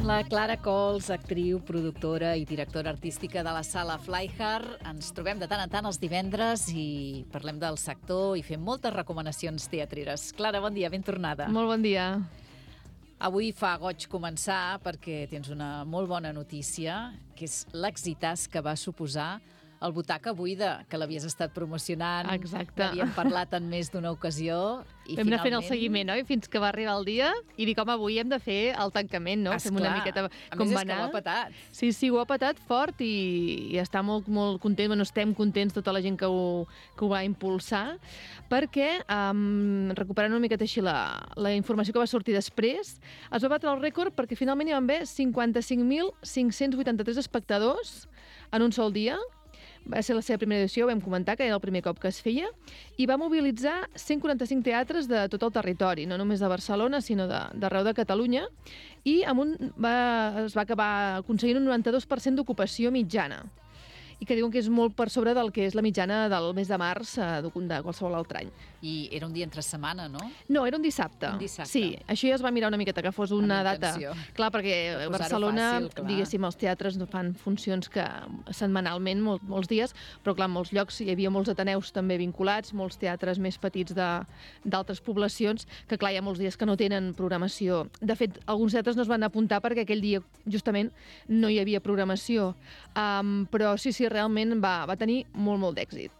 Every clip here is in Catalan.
La Clara Cols, actriu, productora i directora artística de la Sala Flyhard. Ens trobem de tant en tant els divendres i parlem del sector i fem moltes recomanacions teatreres. Clara, bon dia, ben tornada. Molt bon dia. Avui fa goig començar perquè tens una molt bona notícia, que és l'exitàs que va suposar el Butaca Buida, que l'havies estat promocionant. Exacte. N'havíem parlat en més d'una ocasió. I Vam anar fent el seguiment, oi? Fins que va arribar el dia i dic, home, avui hem de fer el tancament, no? Esclar. Fem una miqueta A com més, va és que anar. ho ha petat. Sí, ho ha petat fort i està molt content. Bueno, estem contents tota la gent que ho va impulsar, perquè, recuperant una miqueta així la informació que va sortir després, es va batre el rècord perquè finalment hi van haver 55.583 espectadors en un sol dia. Va ser la seva primera edició, vam comentar que era el primer cop que es feia, i va mobilitzar 145 teatres de tot el territori, no només de Barcelona, sinó d'arreu de Catalunya, i es va acabar aconseguint un 92% d'ocupació mitjana, i que diuen que és molt per sobre del que és la mitjana del mes de març de qualsevol altre any. I era un dia entre setmana, no? No, era un dissabte. Un dissabte. Sí, això ja es va mirar una miqueta, que fos una data. Clar, perquè a Barcelona, fàcil, clar. diguéssim, els teatres no fan funcions que setmanalment, molts dies, però clar, en molts llocs hi havia molts ateneus també vinculats, molts teatres més petits d'altres poblacions, que clar, hi ha molts dies que no tenen programació. De fet, alguns teatres no es van apuntar perquè aquell dia, justament, no hi havia programació. Però sí, realment va tenir molt d'èxit.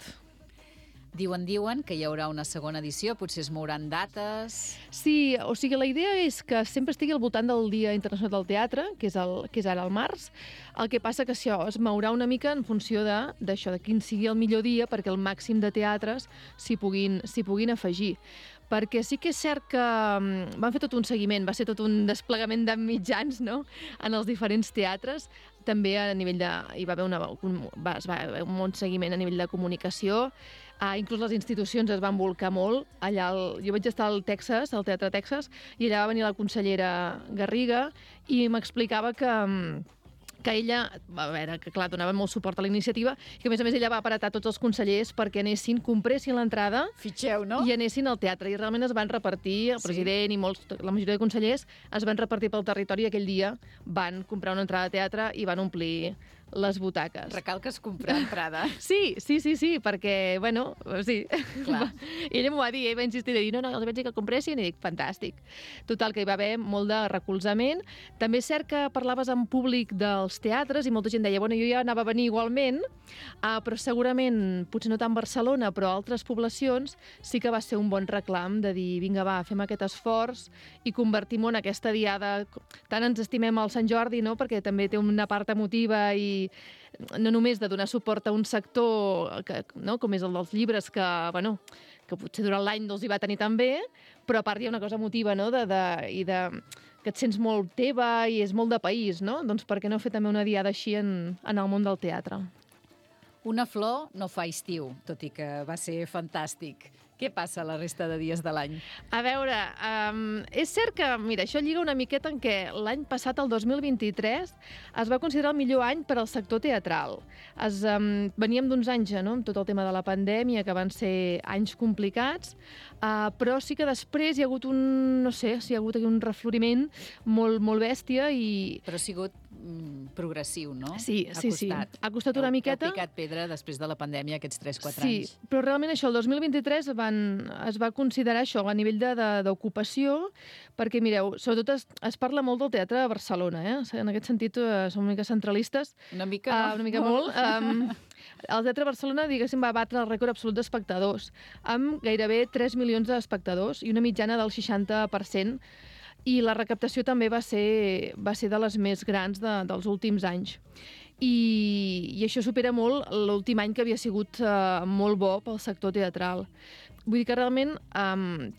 Diuen que hi haurà una segona edició, potser es mouran dates... Sí, o sigui, la idea és que sempre estigui al voltant del Dia Internacional del Teatre, que és ara al març. El que passa que això es mourà una mica en funció d'això, de quin sigui el millor dia, perquè el màxim de teatres s'hi puguin afegir. Perquè sí que és cert que van fer tot un seguiment, va ser tot un desplegament de mitjans, no?, en els diferents teatres. També a nivell hi va haver un bon seguiment a nivell de comunicació. Inclús les institucions es van volcar molt. Jo vaig estar al Texas, al Teatre Texas, i allà va venir la consellera Garriga i m'explicava que ella, a veure, que clar, donava molt suport a la iniciativa, i que a més ella va apretar tots els consellers perquè compressin l'entrada. Fitxeu, no? I anessin al teatre. I realment es van repartir, el president i la majoria de consellers es van repartir pel territori, i aquell dia van comprar una entrada de teatre i van omplir les butaques. Recalques comprar entrada. Sí, perquè, bueno, sí. Clar. Ella m'ho va dir, va insistir, de dir, no, els vaig dir que compressin, i dic, fantàstic. Total, que hi va haver molt de recolzament. També és cert que parlaves en públic dels teatres i molta gent deia, bueno, jo ja anava a venir igualment, però segurament, potser no tant Barcelona, però altres poblacions, sí que va ser un bon reclam de dir, vinga, va, fem aquest esforç i convertim-ho en aquesta diada. Tant ens estimem al Sant Jordi, no?, perquè també té una part emotiva i no només de donar suport a un sector com és el dels llibres, que potser durant l'any no els hi va tenir tan bé, però a part hi ha una cosa emotiva, no?, que et sents molt teva i és molt de país, no? Doncs per què no fer també una diada així en el món del teatre? Una flor no fa estiu, tot i que va ser fantàstic. Què passa la resta de dies de l'any? A veure, és cert que, mira, això lliga una miqueta en què l'any passat, el 2023, es va considerar el millor any per al sector teatral. Veníem d'uns anys, no?, amb tot el tema de la pandèmia, que van ser anys complicats, però sí que després hi ha hagut un refloriment molt bèstia i... Però ha sigut progressiu, no? Sí. Ha costat una miqueta. Heu picat pedra després de la pandèmia aquests 3-4 anys. Sí, però realment això, el 2023 es va considerar això a nivell d'ocupació, perquè, mireu, sobretot es parla molt del teatre a Barcelona, en aquest sentit som una mica centralistes. Una mica, no? Una mica molt. El Teatre de Barcelona, diguéssim, va batre el rècord absolut d'espectadors, amb gairebé 3 milions d'espectadors i una mitjana del 60%, i la recaptació també va ser de les més grans dels últims anys. I això supera molt l'últim any, que havia sigut molt bo pel sector teatral. Vull dir que realment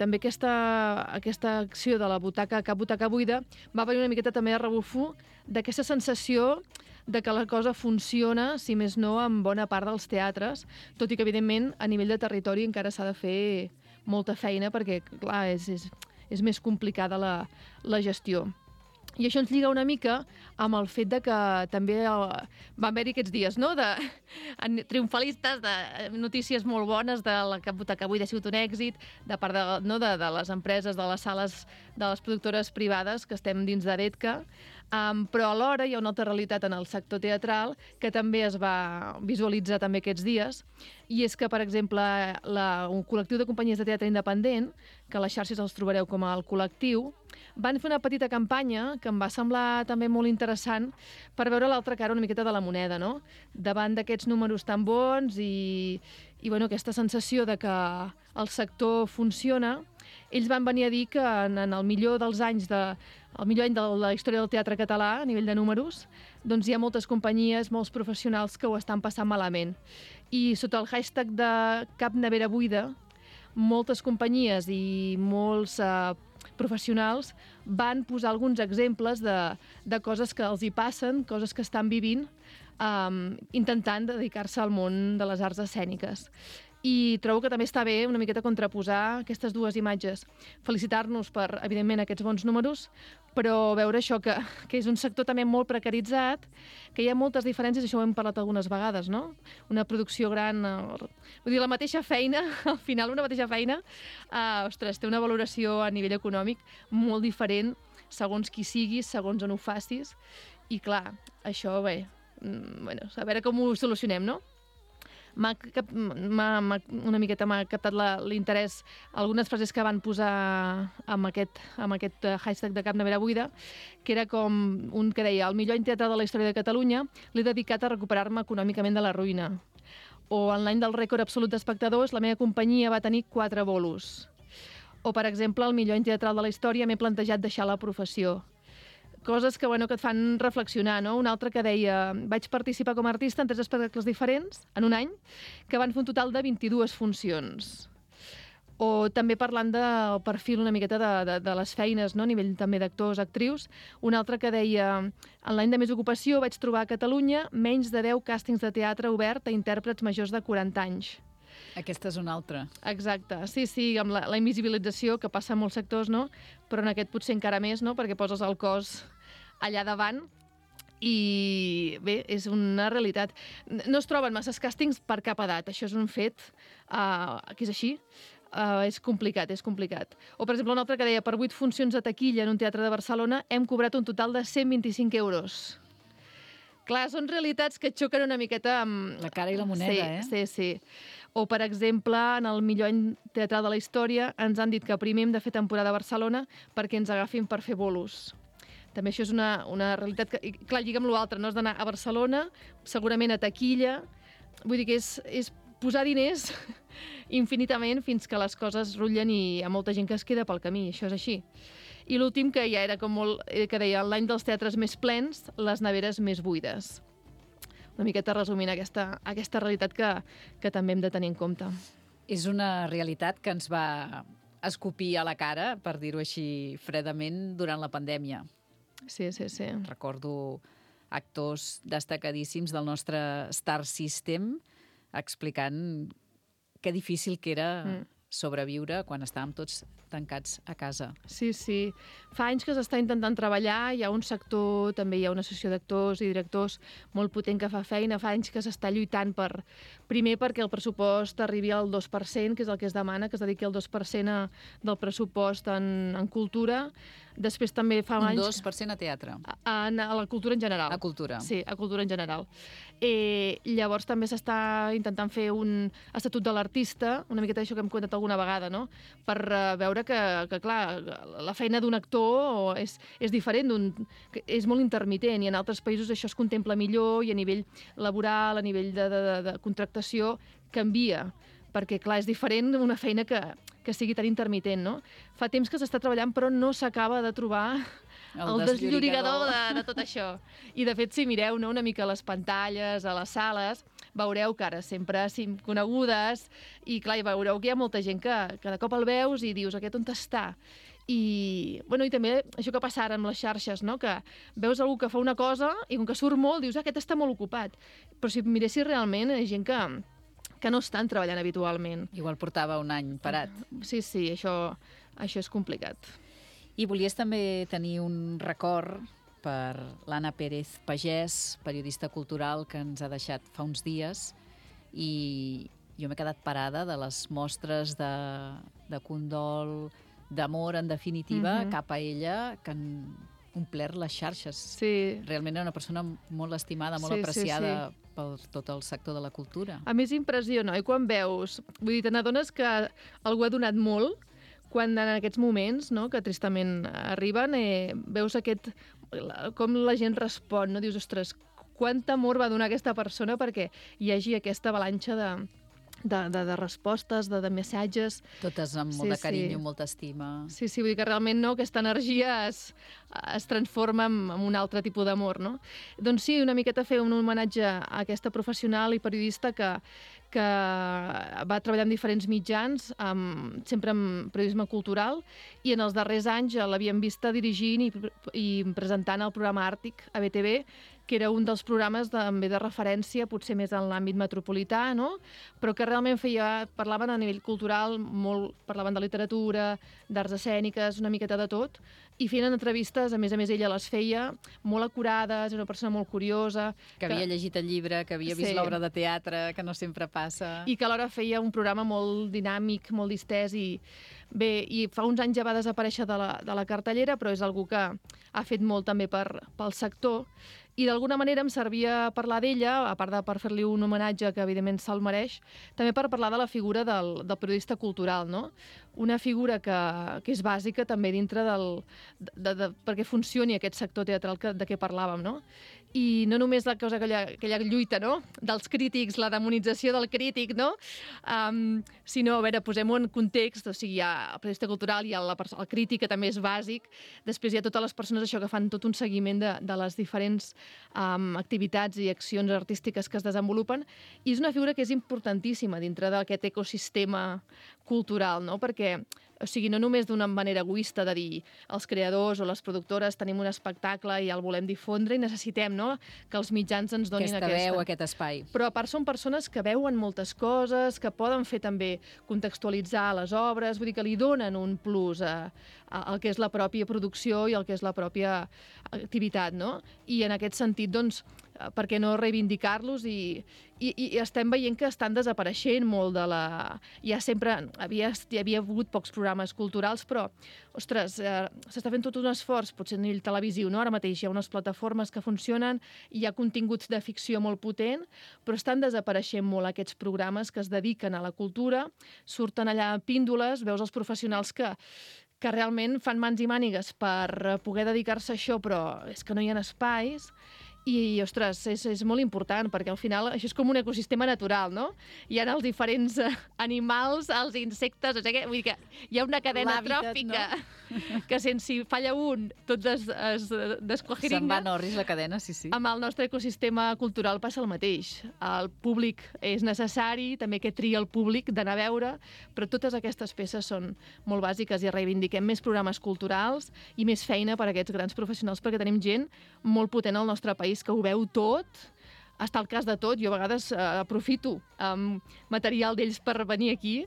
també aquesta acció de la butaca buida va venir una miqueta també a rebufo d'aquesta sensació de que la cosa funciona, si més no, en bona part dels teatres, tot i que, evidentment, a nivell de territori encara s'ha de fer molta feina, perquè, clar, és més complicada la gestió. I això ens lliga una mica amb el fet de que també va haver-hi aquests dies, no?, triomfalistes, de notícies molt bones de la Butaca Buida ha sigut un èxit, de part de les empreses, de les sales, de les productores privades que estem dins d'Heretca, Però alhora hi ha una altra realitat en el sector teatral que també es va visualitzar també aquests dies, i és que, per exemple, un col·lectiu de companyies de teatre independent, que a les xarxes els trobareu com el col·lectiu, van fer una petita campanya que em va semblar també molt interessant per veure l'altra cara una miqueta de la moneda, no? Davant d'aquests números tan bons i bueno, aquesta sensació de que el sector funciona, ells van venir a dir que en el millor dels anys el millor any de la història del teatre català, a nivell de números, doncs hi ha moltes companyies, molts professionals que ho estan passant malament. I sota el hashtag de Cap Nevera Buida, moltes companyies i molts professionals van posar alguns exemples de coses que els hi passen, coses que estan vivint, intentant dedicar-se al món de les arts escèniques. I trobo que també està bé una miqueta contraposar aquestes dues imatges. Felicitar-nos per, evidentment, aquests bons números, però veure això que és un sector també molt precaritzat, que hi ha moltes diferències, això ho hem parlat algunes vegades, no? Una producció gran, vull dir, la mateixa feina, al final una mateixa feina, ostres, té una valoració a nivell econòmic molt diferent segons qui siguis, segons on ho facis, i clar, això, bé, bueno, a veure com ho solucionem, no? Una miqueta m'ha captat l'interès algunes frases que van posar amb aquest hashtag de Cap Nevera Buida, que era com un que deia: el millor any teatral de la història de Catalunya l'he dedicat a recuperar-me econòmicament de la ruïna. O en l'any del rècord absolut d'espectadors, la meva companyia va tenir 4 bolos. O, per exemple, el millor any teatral de la història m'he plantejat deixar la professió. Coses que, bueno, que et fan reflexionar, no? Un altre que deia: vaig participar com a artista en 3 espectacles diferents en un any, que van fer un total de 22 funcions. O també parlant del perfil una miqueta de les feines, no? A nivell també d'actors, actrius, un altre que deia: en l'any de més ocupació vaig trobar a Catalunya menys de 10 càstings de teatre obert a intèrprets majors de 40 anys. Aquesta és una altra. Exacte, sí, amb la invisibilització que passa en molts sectors, no? Però en aquest potser encara més, no? Perquè poses el cos allà davant i bé, és una realitat. No es troben masses càstings per cap edat, això és un fet que és així. És complicat. O, per exemple, un altre que deia: per 8 funcions de taquilla en un teatre de Barcelona hem cobrat un total de 125 euros. Clar, són realitats que xoquen una miqueta amb... La cara i la moneda, Sí. O, per exemple, en el millor any teatral de la història ens han dit que primer hem de fer temporada a Barcelona perquè ens agafin per fer bolos. També això és una realitat que, clar, lliga amb l'altre, no? Has d'anar a Barcelona, segurament a taquilla. Vull dir que és posar diners infinitament fins que les coses rutllen i hi ha molta gent que es queda pel camí, això és així. I l'últim, que ja era com molt... que deia: l'any dels teatres més plens, les neveres més buides. Una miqueta resumint aquesta realitat que també hem de tenir en compte. És una realitat que ens va escopir a la cara, per dir-ho així fredament, durant la pandèmia. Sí. Recordo actors destacadíssims del nostre Star System explicant que difícil que era sobreviure quan estàvem tots tancats a casa. Sí. Fa anys que s'està intentant treballar, hi ha un sector, també hi ha una associació d'actors i directors molt potent que fa feina, fa anys que s'està lluitant primer perquè el pressupost arribi al 2%, que és el que es demana, que es dediqui al 2% del pressupost en cultura. Després també fa anys... Un 2% a teatre. A la cultura en general. A cultura. Sí, a cultura en general. Llavors també s'està intentant fer un estatut de l'artista, una miqueta això que hem comentat alguna vegada, no? Per veure que clar, la feina d'un actor és diferent, és molt intermitent, i en altres països això es contempla millor, i a nivell laboral, a nivell de contractació, canvia. Perquè, clar, és diferent una feina que sigui tan intermitent, no? Fa temps que s'està treballant, però no s'acaba de trobar el desllorigador de tot això. I, de fet, si mireu una mica a les pantalles, a les sales, veureu cares sempre conegudes, i, clar, veureu que hi ha molta gent que de cop el veus i dius: aquest on està? I també això que passa ara amb les xarxes, no? Que veus algú que fa una cosa i com que surt molt dius: aquest està molt ocupat. Però si miressis realment, hi ha gent que no estan treballant habitualment. Igual portava un any parat. Sí, això és complicat. I volies també tenir un record per l'Anna Pérez Pagès, periodista cultural que ens ha deixat fa uns dies, i jo m'he quedat parada de les mostres de condol, d'amor, en definitiva, cap a ella, que en omplert les xarxes. Sí. Realment era una persona molt estimada, molt apreciada per tot el sector de la cultura. A més, impressiona, i quan veus... Vull dir, te n'adones que algú ha donat molt quan en aquests moments, no?, que tristament arriben, veus com la gent respon, no? Dius, ostres, quant amor va donar aquesta persona perquè hi hagi aquesta avalanxa de respostes, de missatges. Totes amb molt de carinyo, molta estima. Sí, vull dir que realment aquesta energia es transforma en un altre tipus d'amor, no? Doncs sí, una miqueta fer un homenatge a aquesta professional i periodista que va treballar en diferents mitjans, sempre en periodisme cultural, i en els darrers anys l'havíem vista dirigint i presentant el programa Àrtic a BTV, que era un dels programes també de referència, potser més en l'àmbit metropolità, no? Però que realment parlaven a nivell cultural, parlaven de literatura, d'arts escèniques, una miqueta de tot, i feien entrevistes, a més ella les feia molt acurades, era una persona molt curiosa. Que havia llegit el llibre, que havia vist l'obra de teatre, que no sempre passa. I que alhora feia un programa molt dinàmic, molt distès, i bé, i fa uns anys ja va desaparèixer de la cartellera, però és algú que ha fet molt també pel sector, i d'alguna manera em servia parlar d'ella, a part de per fer-li un homenatge que evidentment se'l mereix, també per parlar de la figura del periodista cultural, no? Una figura que és bàsica també dintre perquè funcioni aquest sector teatral de què parlàvem, no? I no només la cosa aquella lluita, no?, dels crítics, la demonització del crític, no?, sinó, a veure, posem-ho en context, o sigui, hi ha el periodista cultural, hi ha el crític, que també és bàsic, després hi ha totes les persones que fan tot un seguiment de les diferents activitats i accions artístiques que es desenvolupen, i és una figura que és importantíssima dintre d'aquest ecosistema cultural, no?, perquè o sigui, no només d'una manera egoista de dir els creadors o les productores tenim un espectacle i el volem difondre i necessitem, no?, que els mitjans ens donin aquesta veu, aquest espai. Però a part són persones que veuen moltes coses, que poden fer també contextualitzar les obres, vull dir que li donen un plus al que és la pròpia producció i al que és la pròpia activitat, no? I en aquest sentit, doncs, per què no reivindicar-los, i estem veient que estan desapareixent molt de la... Hi havia hagut pocs programes culturals, però, ostres, s'està fent tot un esforç, potser a nivell televisiu, no? Ara mateix hi ha unes plataformes que funcionen, hi ha continguts de ficció molt potent, però estan desapareixent molt aquests programes que es dediquen a la cultura, surten allà píndoles, veus els professionals que realment fan mans i mànigues per poder dedicar-se a això, però és que no hi ha espais. I, ostres, és molt important, perquè al final això és com un ecosistema natural, no? Hi ha els diferents animals, els insectes, o sigui, vull dir que hi ha una cadena tròfica, no? Que si falla un, tots es desquajiringen. Se'n va en orris la cadena, sí. Amb el nostre ecosistema cultural passa el mateix. El públic és necessari, també que tria el públic d'anar a veure, però totes aquestes peces són molt bàsiques i reivindiquem més programes culturals i més feina per a aquests grans professionals, perquè tenim gent molt potent al nostre país que ho veu tot, està al cas de tot. Jo a vegades aprofito material d'ells per venir aquí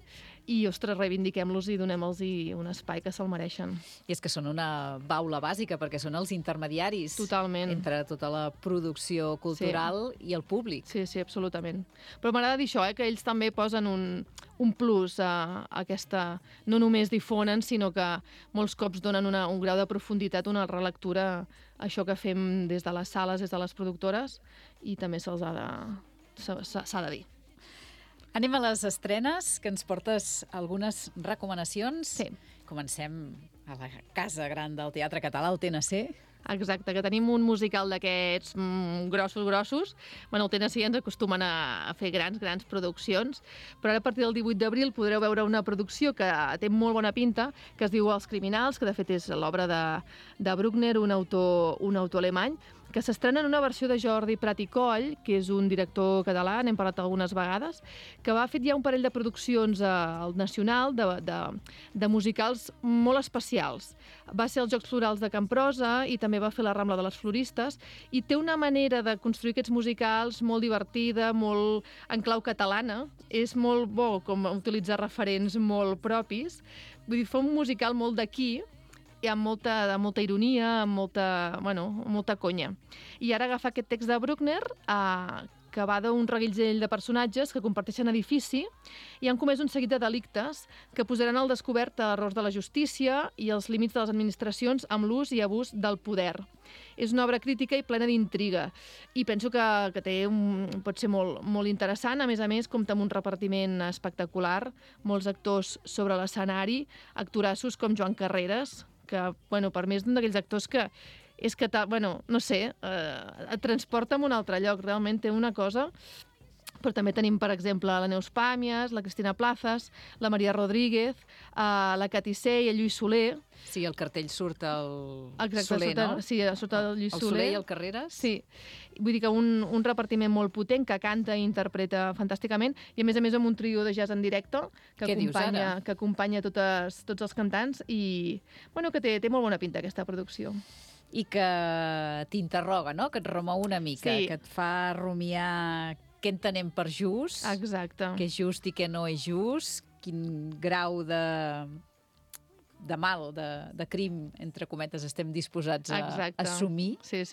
i, ostres, reivindiquem-los i donem-los un espai que se'l mereixen. I és que són una baula bàsica, perquè són els intermediaris. Totalment. Entre tota la producció cultural i el públic. Sí, absolutament. Però m'agrada dir això, que ells també posen un plus a aquesta... No només difonen, sinó que molts cops donen un grau de profunditat, una relectura, això que fem des de les sales, des de les productores, i també s'ha de dir. Anem a les estrenes, que ens portes algunes recomanacions. Sí. Comencem a la casa gran del Teatre Català, el TNC. Exacte, que tenim un musical d'aquests grossos. Bueno, el TNC ens acostumen a fer grans produccions, però ara a partir del 18 d'abril podreu veure una producció que té molt bona pinta, que es diu Els Criminals, que de fet és l'obra de Bruckner, un autor alemany, que s'estrena en una versió de Jordi Prat i Coll, que és un director català, n'hem parlat algunes vegades, que ha fet ja un parell de produccions al Nacional de musicals molt especials. Va ser als Jocs Florals de Camprosa i també va fer la Rambla de les Floristes, i té una manera de construir aquests musicals molt divertida, molt en clau catalana. És molt bo com utilitzar referents molt propis. Vull dir, fa un musical molt d'aquí, i amb molta ironia, amb molta conya. I ara agafar aquest text de Bruckner, que va d'un reguitzell de personatges que comparteixen edifici i han comès un seguit de delictes que posaran al descobert errors de la justícia i els límits de les administracions amb l'ús i abús del poder. És una obra crítica i plena d'intriga i penso que pot ser molt interessant. A més, compta amb un repartiment espectacular, molts actors sobre l'escenari, actorassos com Joan Carreras, que per mi és un d'aquells actors que no sé, et transporta a un altre lloc, realment té una cosa. Però també tenim, per exemple, la Neus Pàmies, la Cristina Plazas, la Maria Rodríguez, la Cati Sey, el Lluís Soler. Sí, el cartell surt el Soler, no? Sí, surt el Lluís Soler. El Soler i el Carreras. Sí. Vull dir que un repartiment molt potent, que canta i interpreta fantàsticament, i a més amb un trio de jazz en directe que acompanya tots els cantants i que té molt bona pinta aquesta producció. I que t'interroga, no? Que et remou una mica, sí. Que et fa rumiar què entenem per just, exacte. Què és just i què no és just, quin grau de mal, de crim, entre cometes, estem disposats a assumir. Sí.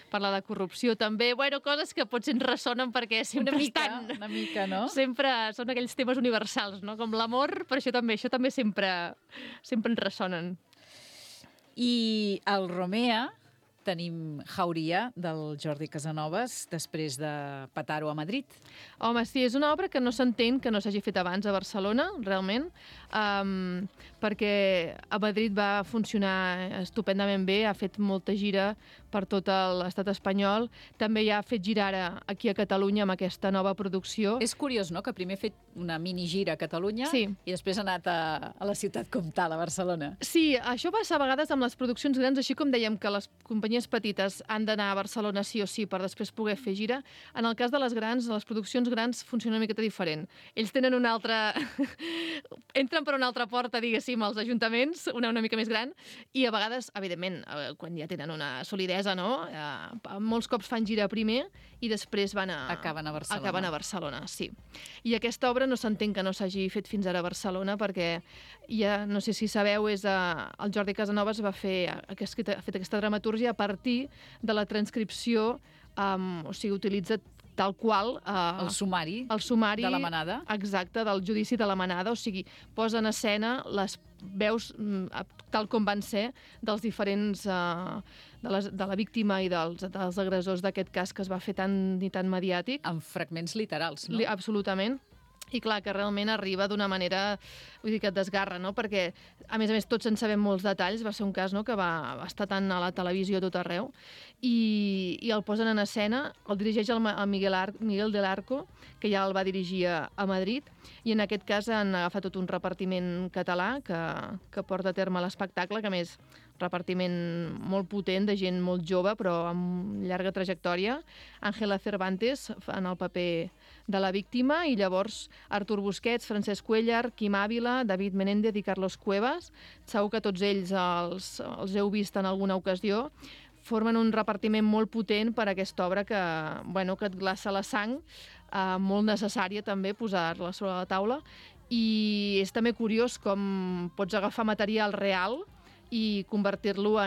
Parlar de corrupció també, coses que potser ens ressonen perquè sempre una mica, no? Sempre són aquells temes universals, no? Com l'amor, però això també sempre ens ressonen. I al Romea tenim Jauria, del Jordi Casanovas, després de petar-ho a Madrid. Home, sí, és una obra que no s'entén que no s'hagi fet abans a Barcelona, realment, perquè a Madrid va funcionar estupendament bé, ha fet molta gira per tot l'estat espanyol, també ja ha fet girar aquí a Catalunya amb aquesta nova producció. És curiós, no?, que primer ha fet una minigira a Catalunya sí. I després ha anat a la ciutat comtal, a Barcelona. Sí, això passa a vegades amb les produccions grans, així com dèiem que les companyies petites han d'anar a Barcelona sí o sí per després poder fer gira. En el cas de les grans, de les produccions grans, funciona una miqueta diferent. Ells tenen una altra... entren per una altra porta, diguéssim, als ajuntaments, una mica més gran, i a vegades, evidentment, quan ja tenen una solidesa, no? Molts cops fan gira primer i després acaben a Barcelona. Acaben a Barcelona, sí. I aquesta obra no s'entén que no s'hagi fet fins ara a Barcelona perquè ja, no sé si sabeu, el Jordi Casanovas ha fet aquesta dramatúrgia a partir de la transcripció, o sigui, utilitza tal qual... el sumari de la manada. Exacte, del judici de la manada, o sigui, posa en escena les veus tal com van ser dels diferents... de la víctima i dels agressors d'aquest cas que es va fer tan i tan mediàtic. Amb fragments literals, no? Absolutament. I clar, que realment arriba d'una manera, vull dir, que et desgarra, no? Perquè, a més, tots en sabem molts detalls, va ser un cas, no?, que va estar tant a la televisió a tot arreu, i el posen en escena, el dirigeix el Miguel del Arco, que ja el va dirigir a Madrid, i en aquest cas han agafat tot un repartiment català que porta a terme l'espectacle, que a més, repartiment molt potent, de gent molt jove, però amb llarga trajectòria. Ángela Cervantes, en el paper de la víctima, i llavors Artur Busquets, Francesc Cuéllar, Quim Ávila, David Menéndez i Carlos Cuevas. Segur que tots ells els heu vist en alguna ocasió. Formen un repartiment molt potent per a aquesta obra que et glaça la sang, molt necessària també posar-la sobre la taula. I és també curiós com pots agafar material real i convertir-lo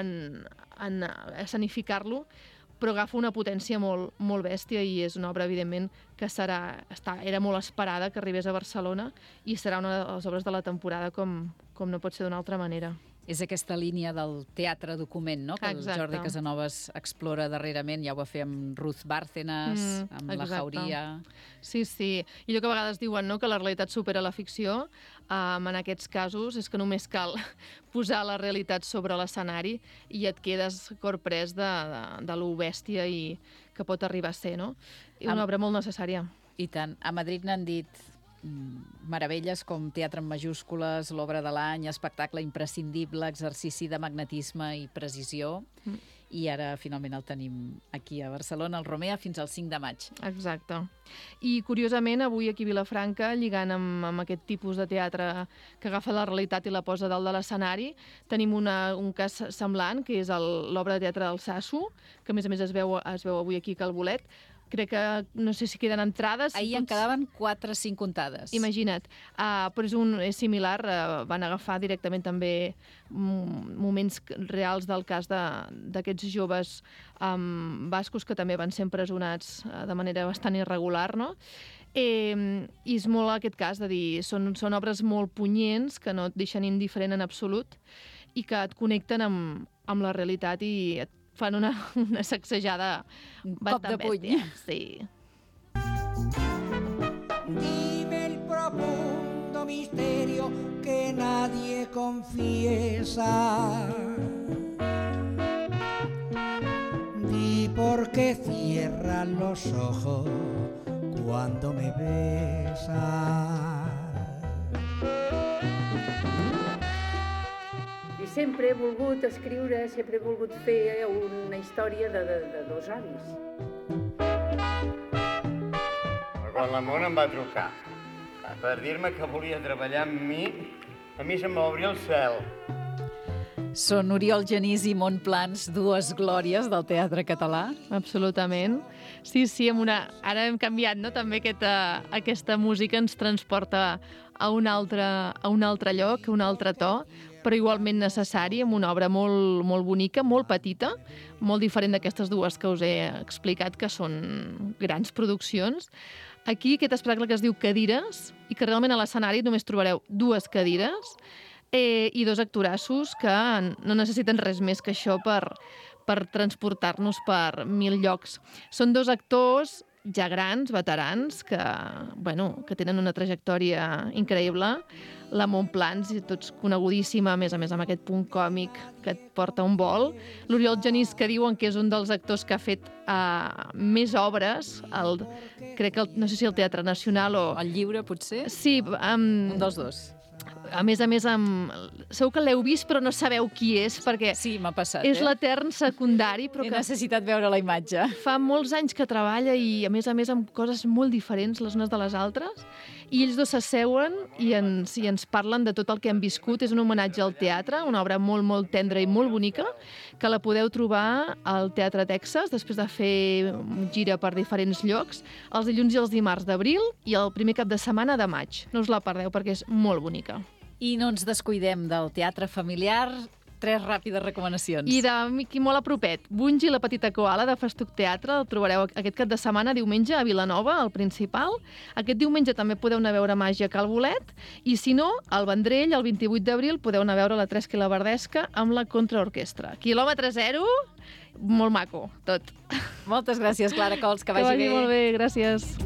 escenificar-lo, però agafa una potència molt, molt bèstia i és una obra, evidentment, que era molt esperada que arribés a Barcelona i serà una de les obres de la temporada com no pot ser d'una altra manera. És aquesta línia del teatre document, no?, que el Jordi Casanovas explora darrerament, ja ho va fer amb Ruth Bárcenas, amb la Jauria... Sí, i allò que a vegades diuen, no?, que la realitat supera la ficció, en aquests casos és que només cal posar la realitat sobre l'escenari i et quedes corprès de lo bèstia i que pot arribar a ser, no? I una obra molt necessària. I tant. A Madrid n'han dit meravelles com Teatre en majúscules, l'obra de l'any, espectacle imprescindible, exercici de magnetisme i precisió, i ara finalment el tenim aquí a Barcelona, al Romea, fins al 5 de maig. Exacte. I curiosament, avui aquí a Vilafranca, lligant amb aquest tipus de teatre que agafa la realitat i la posa dalt de l'escenari, tenim un cas semblant, que és l'obra de teatre del Sasso, que a més es veu avui aquí a Cal Bolet, crec que no sé si queden entrades. Ahir en quedaven 4 o 5 comptades. Imagina't. Però és similar, van agafar directament també moments reals del cas d'aquests joves bascos que també van ser empresonats de manera bastant irregular, no? I és molt aquest cas de dir, són obres molt punyents que no et deixen indiferent en absolut i que et connecten amb la realitat i et fan una sacsejada bastant bèstia. Sí. Dime el profundo misterio que nadie confiesa. Di por qué cierran los ojos cuando me besas. I sempre he volgut escriure, sempre he volgut fer una història de dos avis. Quan la Mona em va trucar per dir-me que volia treballar amb mi, a mi se'm va obrir el cel. Són Oriol Genís i Montplans, dues glòries del teatre català. Absolutament. Sí, ara hem canviat, no? També aquesta música ens transporta a un altre lloc, a un altre to, però igualment necessari, amb una obra molt, molt bonica, molt petita, molt diferent d'aquestes dues que us he explicat, que són grans produccions. Aquí aquest espectacle que es diu Cadires, i que realment a l'escenari només trobareu 2 cadires, i 2 actorassos que no necessiten res més que això per transportar-nos per 1000 llocs. Són 2 actors ja grans, veterans, que tenen una trajectòria increïble. La Montplans, tots conegudíssima, a més amb aquest punt còmic que et porta un vol. L'Oriol Genís, que diuen que és un dels actors que ha fet més obres, crec que no sé si el Teatre Nacional o... El Lliure, potser? Sí. Un dels dos. A més, segur que l'heu vist però no sabeu qui és, perquè sí, m'ha passat, és l'etern secundari. Però he necessitat veure la imatge. Fa molts anys que treballa i, a més amb coses molt diferents les unes de les altres. I ells dos s'asseuen i ens parlen de tot el que han viscut. És un homenatge al teatre, una obra molt, molt tendra i molt bonica, que la podeu trobar al Teatre Texas, després de fer gira per diferents llocs, els dilluns i els dimarts d'abril i el primer cap de setmana de maig. No us la perdeu perquè és molt bonica. I no ens descuidem del teatre familiar. 3 ràpides recomanacions. I d'aquí molt a propet, Bungi, la petita koala, de Festuc Teatre, el trobareu aquest cap de setmana, diumenge, a Vilanova, al Principal. Aquest diumenge també podeu anar a veure Màgia a Cal Bolet, i si no, al Vendrell, el 28 d'abril, podeu anar a veure la Tresca i la Verdesca amb la Contraorquestra. Quilòmetre zero, molt maco, tot. Moltes gràcies, Clara Cols, que vagi bé. Que vagi molt bé, gràcies.